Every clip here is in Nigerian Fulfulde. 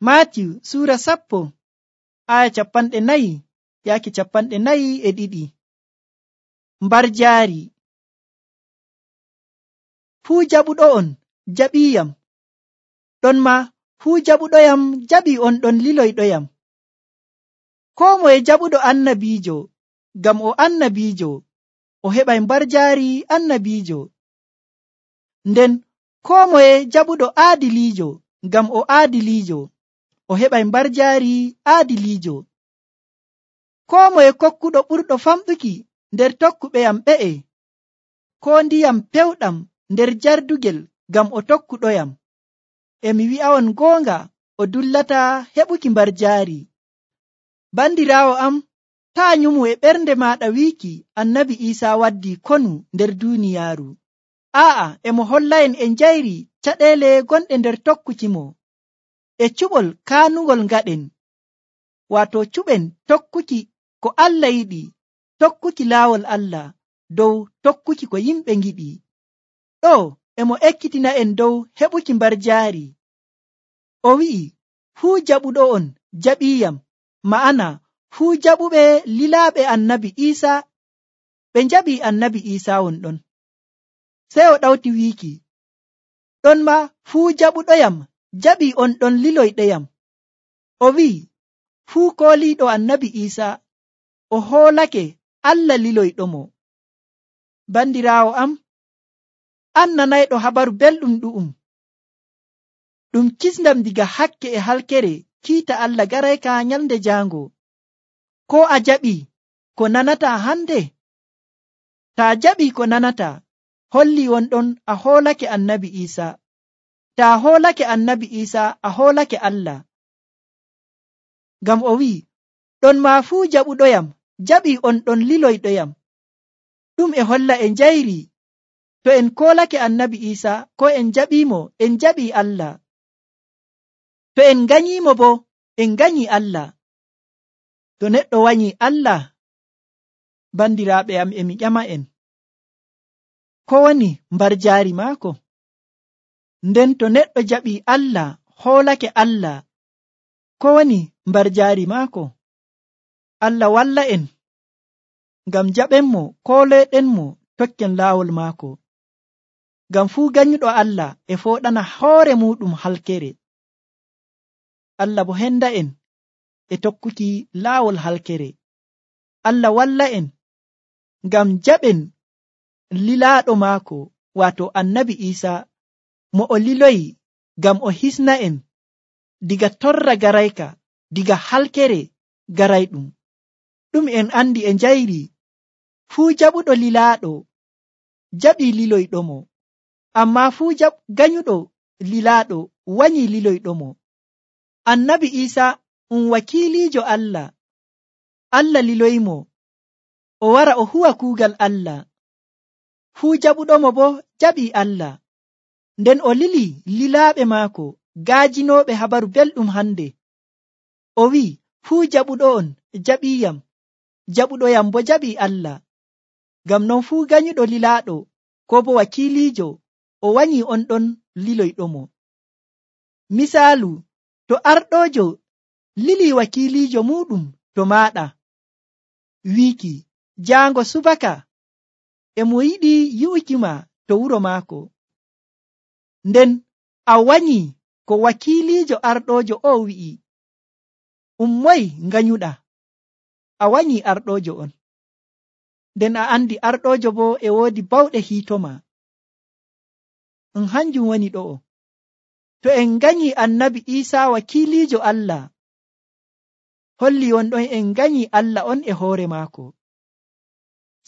Maatiyu sura 10 aya 40 yaaki 42. Mbar jaari. Fuu jaɓuɗo'on jaɓiyam, ɗon ma fuu jaɓuɗoyam jaɓi on ɗon liloyɗoyam. Koo moye jaɓuɗo annabiijo, ngam o annabiijo, o heɓay mbar jaari annabiijo. Nden koo moye jaɓuɗo aadiliijo, ngam o aadiliijo, o heɓay mbar jaari aadiliijo. Koo moye kokkuɗo ɓurɗo famɗuki nder tokkuɓeyam ɓe'e, koo ndiyam pewɗam nder jardugel ngam o tokkuɗoyam. E mi wi'a'on goonga, o dullata heɓuki mbar jaari. Bandiraawo am, taa nyumu e ɓernde maaɗa wiiki annabi Iisaa waddii konu nder duuniyaaru. Aa'a, e mo holla'en e njayri caɗeele gonɗe nder tokkukimo, e cuɓol kaanungol ngaɗen, waato cuɓen tokkuki ko Allah yiɗi, tokkuki laawol Allah dow tokkuki ko yimɓe ngiɗi. Ɗo e mo ekkitina'en dow heɓuki mbar jaari. O wi'i, fuu jaɓuɗo'on jaɓiyam, ma'ana fuu jaɓuɓe lilaaɓe annabi Iisaa ɓe njaɓi annabi Iisaa wonɗon. Sey o ɗawti wiiki, ɗon ma fuu jaɓuɗoyam jaɓi on ɗon liloyɗeyam. O wi'i, fuu kooliiɗo annabi Iisaa o hoolake Allah liloyɗomo. Bandiraawo am, an nanayɗo habaru belɗum ɗu'um, ɗum kisndam diga hakke e halkere kiita Allah garayka nyalnde jaango. Ko a jaɓi ko nanata hande? Taa jaɓi ko nanata, holli wonɗon a hoolake annabi Iisaa. Taa hoolake annabi Iisaa, a hoolake Allah. Ngam o wi'i, ɗon ma fuu jaɓuɗoyam jaɓi on ɗon liloyɗoyam. Ɗum e holla e njayri, to en koolake annabi Iisaa ko en jaɓiimo, en jaɓii Allah. To en nganyiimo bo, en nganyii Allah. To neɗɗo wanyii Allah, bandiraaɓe am, e mi ƴama'en, ko woni mbar jaari maako? Nden to neɗɗo jaɓii Allah, hoolake Allah, ko woni mbar jaari maako? Allah walla en, ngam jaɓenmo, kooloyɗenmo, tokken laawol maako. Ngam fuu ganyuɗo Allah e fooɗana hoore muɗum halkere. Allah bo henda en e tokkuki laawol halkere. Allah walla en ngam jaɓen lilaaɗo maako, waato annabi Iisaa, mo o liloyi ngam o hisna en diga torra garayka, diga halkere garayɗum. Ɗum en andi e njayri, fuu jaɓuɗo lilaaɗo jaɓii liloyɗomo, amma fuu ganyuɗo lilaaɗo wanyii liloyɗomo. Annabi Iisaa wakiiliijo Allah. Allah liloyimo o wara o huwa kuugal Allah. Fuu jaɓuɗomo bo jaɓii Allah. Nden o lili lilaaɓe maako gaajinooɓe habaru belɗum hande. O wi'i, fuu jaɓuɗo'on jaɓiyam, jaɓuɗoyam bo jaɓii Allah. Ngam non fuu ganyuɗo lilaaɗo ko bo wakiiliijo o wanyii on ɗon liloyɗomo. Misaalu, to arɗoojo lilii wakiiliijo muɗum to maaɗa, wiiki, jaango subaka e mo yiɗi yi'ukima to wuro maako. Nden a wanyii ko wakiiliijo arɗoojo o wi'i, ummoy nganyuɗa, a wanyii arɗoojo on. Nden a andi arɗoojo bo e woodi bawɗe hiitoma. Hanjum woni ɗo'o. To en nganyii annabi Iisaa wakiiliijo Allah, holli wonɗon en nganyii Allah on e hoore maako.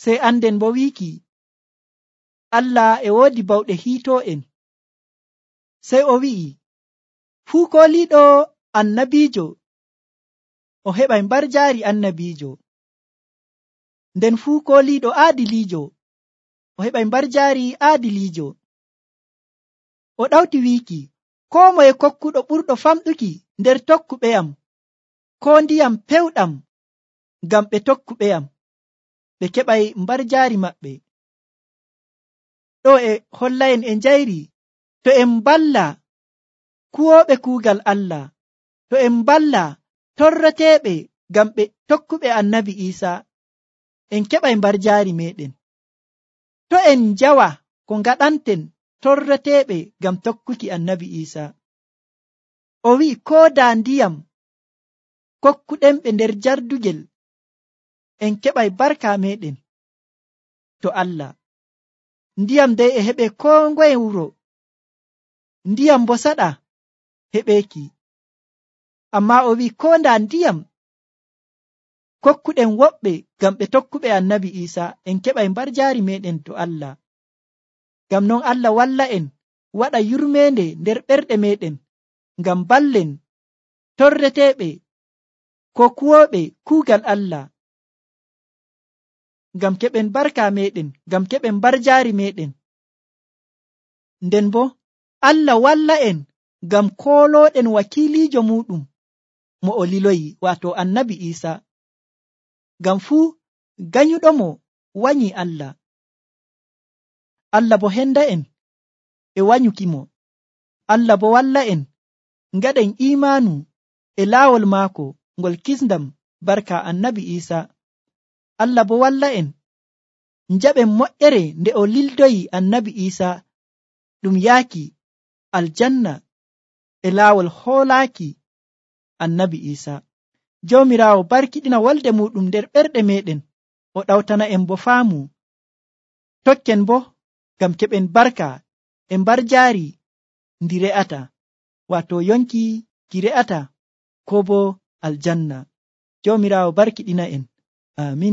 Sey anden bo wiiki, Allah e woodi bawɗe hiitoo'en. Sey o wi'i, fuu kooliiɗo annabiijo o heɓay mbar jaari annabiijo. Nden fuu kooliiɗo aadiliijo o heɓay mbar jaari aadiliijo. O ɗawti wiiki, koo moye kokkuɗo ɓurɗo famɗuki nder tokkuɓeyam, koo ndiyam pewɗam ngam ɓe tokkuɓeyam, ɓe keɓay mbar jaari maɓɓe. Ɗo e holla'en e njayri, to en mballa kuwooɓe kuugal Allah, to en balla torreteeɓe ngam ɓe tokkuɓe annabi Iisa, en keɓay mbarjaari meɗen. To en njawa ko ngaɗanten torreteeɓe ngam tokkuki annabi Iisa, o wi'i koo daa ndiyam kokkuɗenɓe nder jardugel, en keɓay barka meɗen to Allah. Ndiyam dey e heɓe koo ngoye wuro, ndiyam bo saɗa heɓeeki. Ammaa o wi'i koo ndaa ndiyam kokkuɗen woɓɓe ngam ɓe tokkuɓe annabi Iisa, en keɓay mbarjaari meɗen to Allah. Ngam non Allah walla en waɗa yurmeende nder ɓerɗe meɗen, ngam ballen torreteeɓe ko kuwooɓe kuugal Allah, ngam keɓen barka meɗen, ngam keɓen mbarjaari meɗen. Nden bo Allah walla en ngam koolooɗen wakiiliijo muɗum mo o liloyi, waato annabi Iisa. Ngam fuu ganyuɗomo wanyi Allah. Allah bo henda en e wanyukimo. Allah bo walla en ngaɗen imaanu e laawol maako ngol kisndam barka annabi Iisa. Allah bo walla en njaɓen moƴƴere nde o lildoyi annabi Iisa ɗum yaaki aljanna e laawol hoolaaki annabi Iisa. Joomiraawo barkiɗina wolde muɗum nder ɓerɗe meɗen, o ɗawtana en bo faamu, tokken bo ngam keɓen barka e mbarjaari ndi re'ata, waato yonki ki re'ata, ko bo aljanna. Joomiraawo barkiɗina en. Amin.